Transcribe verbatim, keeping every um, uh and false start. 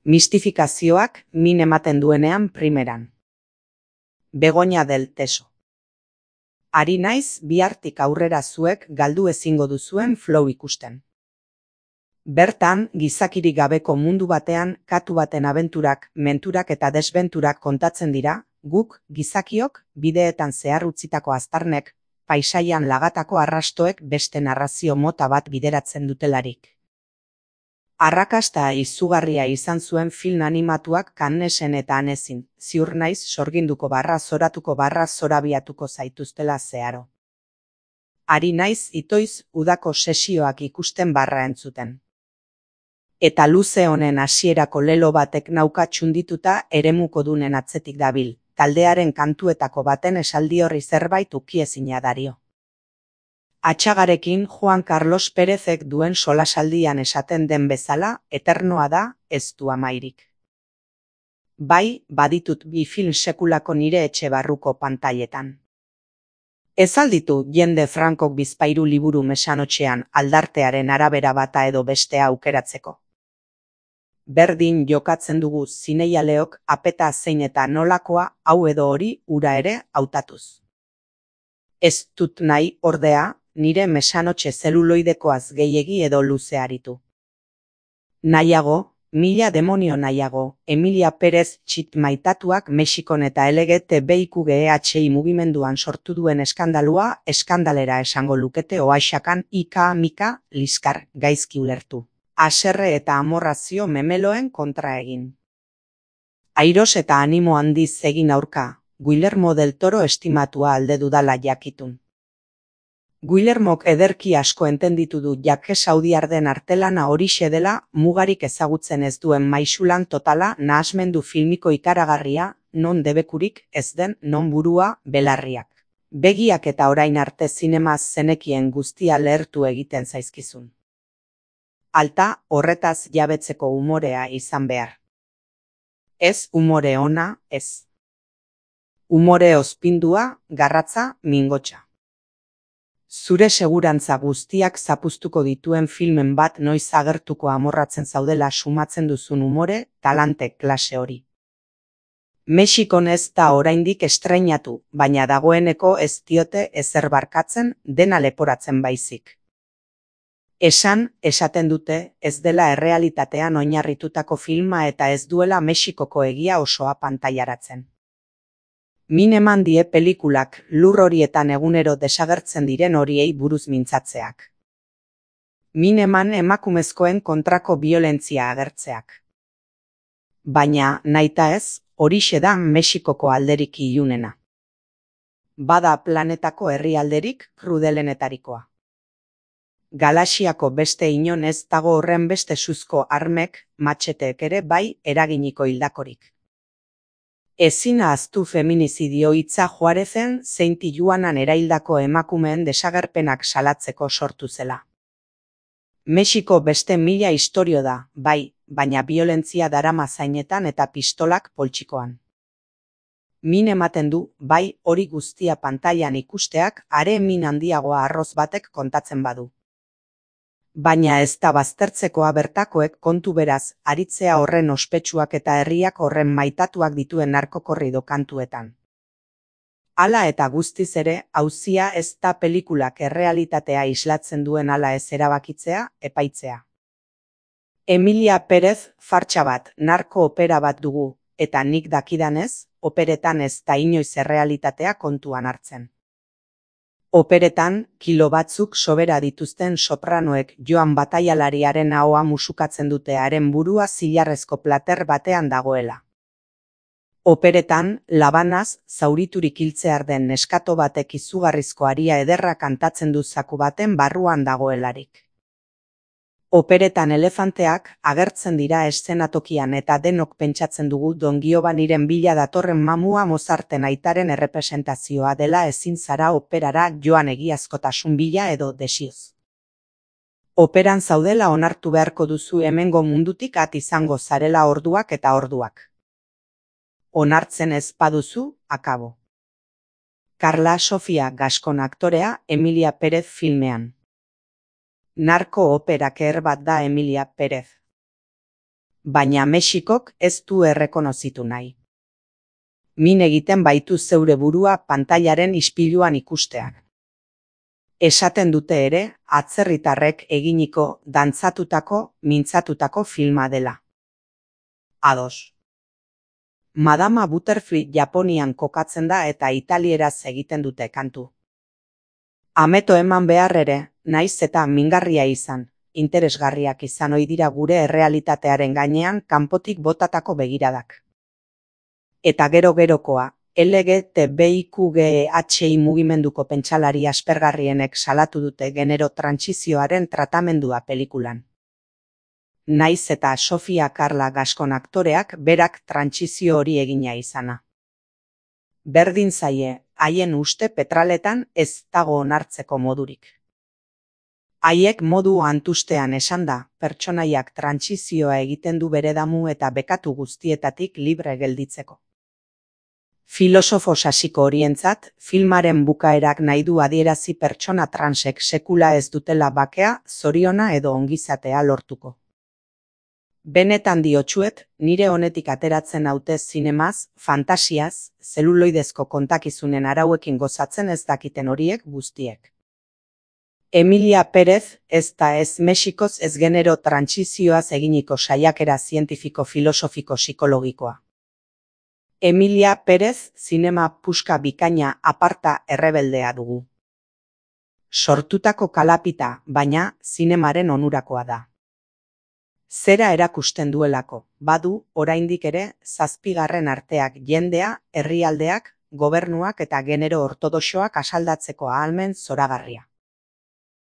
Mistifikazioak min ematen duenean primeran. Begoña del Teso. Ari naiz bihartik aurrera zuek galdu ezingo duzuen flow ikusten. Bertan, gizakirik gabeko mundu batean katu baten abenturak, menturak eta desbenturak kontatzen dira, guk, gizakiok, bideetan zehar utzitako aztarnek, paisaian lagatako arrastoek beste narrazio mota bat bideratzen dutelarik. Arrakasta izugarria izan zuen film animatuak Cannesen eta Annesen, ziur naiz sorginduko barra zoratuko barra zorabiatuko zaituztela zeharo. Ari naiz itoiz udako sesioak ikusten barra entzuten. Eta luze honen hasierako lelo batek nauka txundituta eremuko dunen atzetik dabil, taldearen kantuetako baten esaldi horri zerbait ukiezina dario. Atxagarekin Juan Carlos Pérezek duen solasaldian esaten den bezala, eternoa da, ez du amairik. Bai, baditut bi film sekulako nire etxe barruko pantailetan. Ez alditu jende Frankok bizpahiru liburu mesanotxean aldartearen arabera bata edo bestea aukeratzeko. Berdin jokatzen dugu zineialeok apeta zein eta nolakoa hau edo hori ura ere hautatuz. Ez dut nahi, ordea, nire mesanotxe zeluloidekoaz gehiegi edo luze aritu. Nahiago, mila demonio nahiago, Emilia Pérez txit maitatuak Mexikon eta L G T B I Q G H I mugimenduan sortu duen eskandalua eskandalera esango lukete oaxakan ika mika liskar gaizki ulertu. Haserre eta amorrazio memeloen kontra egin. Airos eta animo handiz egin aurka, Guillermo del Toro estimatua alde dudala jakitun. Guillermok ederki asko entenditu du jake saudiarden artelana horixe dela mugarik ezagutzen ez duen maisulan totala nahasmendu filmiko ikaragarria, non debekurik ez den non burua belarriak. Begiak eta orain arte zinemaz zenekien guztia lehertu egiten zaizkizun. Alta, horretaz jabetzeko umorea izan behar. Ez umore ona, ez. Umore ospindua, garratza, mingotxa. Zure segurantza guztiak zapuztuko dituen filmen bat noiz agertuko amorratzen zaudela sumatzen duzun umore, talante klase hori. Mexikon ez da oraindik estreinatu, baina dagoeneko ez diote ezer barkatzen dena leporatzen baizik. Esan, esaten dute, ez dela errealitatean oinarritutako filma eta ez duela Mexikoko egia osoa pantaiaratzen. Min eman die pelikulak lur horietan egunero desagertzen diren horiei buruz mintzatzeak. Min eman emakumezkoen kontrako biolentzia agertzeak. Baina, nahita ez, horixe da Mexikoko alderik ilunena. Bada planetako herrialderik krudelenetarikoa. Galaxiako beste inon ez dago horren beste suzko armek, matxeteek ere bai eraginiko hildakorik. Ezin ahaztu feminizidio hitza Juarezen zein Tijuanan eraildako emakumeen desagerpenak salatzeko sortu zela. Mexiko beste mila istorio da, bai, baina biolentzia darama zainetan eta pistolak poltsikoan. Min ematen du, bai, hori guztia pantailan ikusteak are min handiagoa arroz batek kontatzen badu. Baina ez da baztertzekoa bertakoek kontu beraz, aritzea horren ospetsuak eta herriak horren maitatuak dituen narkokorrido kantuetan. Hala eta guztiz ere, auzia ez da pelikulak errealitatea islatzen duen hala ez erabakitzea, epaitzea. Emilia Pérez fartsa bat, narko opera bat dugu, eta nik dakidanez, operetan ez da inoiz errealitatea kontuan hartzen. Operetan, kilo batzuk sobera dituzten sopranoek joan bataialariaren ahoa musukatzen dute haren burua zilarrezko plater batean dagoela. Operetan, labanaz, zauriturik hiltzear den neskato batek izugarrizko aria ederra kantatzen du zaku baten barruan dagoelarik. Operetan elefanteak agertzen dira eszenatokian eta denok pentsatzen dugu Don Giovaniren bila datorren mamua Mozarten aitaren errepresentazioa dela ezin zara operara joan egiazkotasun bila edo desioz. Operan zaudela onartu beharko duzu hemengo mundutik at izango zarela orduak eta orduak. Onartzen ez baduzu, akabo. Carla Sofia Gascon aktorea Emilia Pérez filmean. Narko operak er bat da Emilia Pérez. baina Mexikok ez du errekonozitu nahi. Min egiten baitu zeure burua pantailaren ispiluan ikusteak. Esaten dute ere, atzerritarrek eginiko, dantzatutako, mintzatutako filma dela. Ados. Madama Butterfly Japonian kokatzen da eta italieraz egiten dute kantu. Ameto eman behar ere, naiz eta mingarria izan, interesgarriak izan ohi dira gure errealitatearen gainean kanpotik botatako begiradak. Eta gero-gerokoa, L G T B I Q G H I mugimenduko pentsalari aspergarrienek salatu dute genero trantsizioaren tratamendua pelikulan. Naiz eta Sofia Carla Gascon aktoreak berak trantsizio hori egina izana. Berdin zaie, haien uste petraletan ez dago onartzeko modurik. Haiek modu antustean esan da, pertsonaiak trantsizioa egiten du bere damu eta bekatu guztietatik libre gelditzeko. Filosofo sasiko horientzat, filmaren bukaerak nahi du adierazi pertsona transek sekula ez dutela bakea, zoriona edo ongizatea lortuko. Benetan diotsuet, nire honetik ateratzen haute zinemaz, fantasiaz, zeluloidezko kontakizunen arauekin gozatzen ez dakiten horiek guztiek. Emilia Pérez ez da ez Mexikoz ez genero trantsizioaz eginiko saiakera zientifiko filosofiko psikologikoa. Emilia Pérez zinema puska bikaina aparta errebeldea dugu. Sortutako kalapita, baina zinemaren onurakoa da. Zera erakusten duelako, badu, oraindik ere, zazpigarren arteak jendea, herrialdeak, gobernuak eta genero ortodoxoak asaldatzeko ahalmen zoragarria.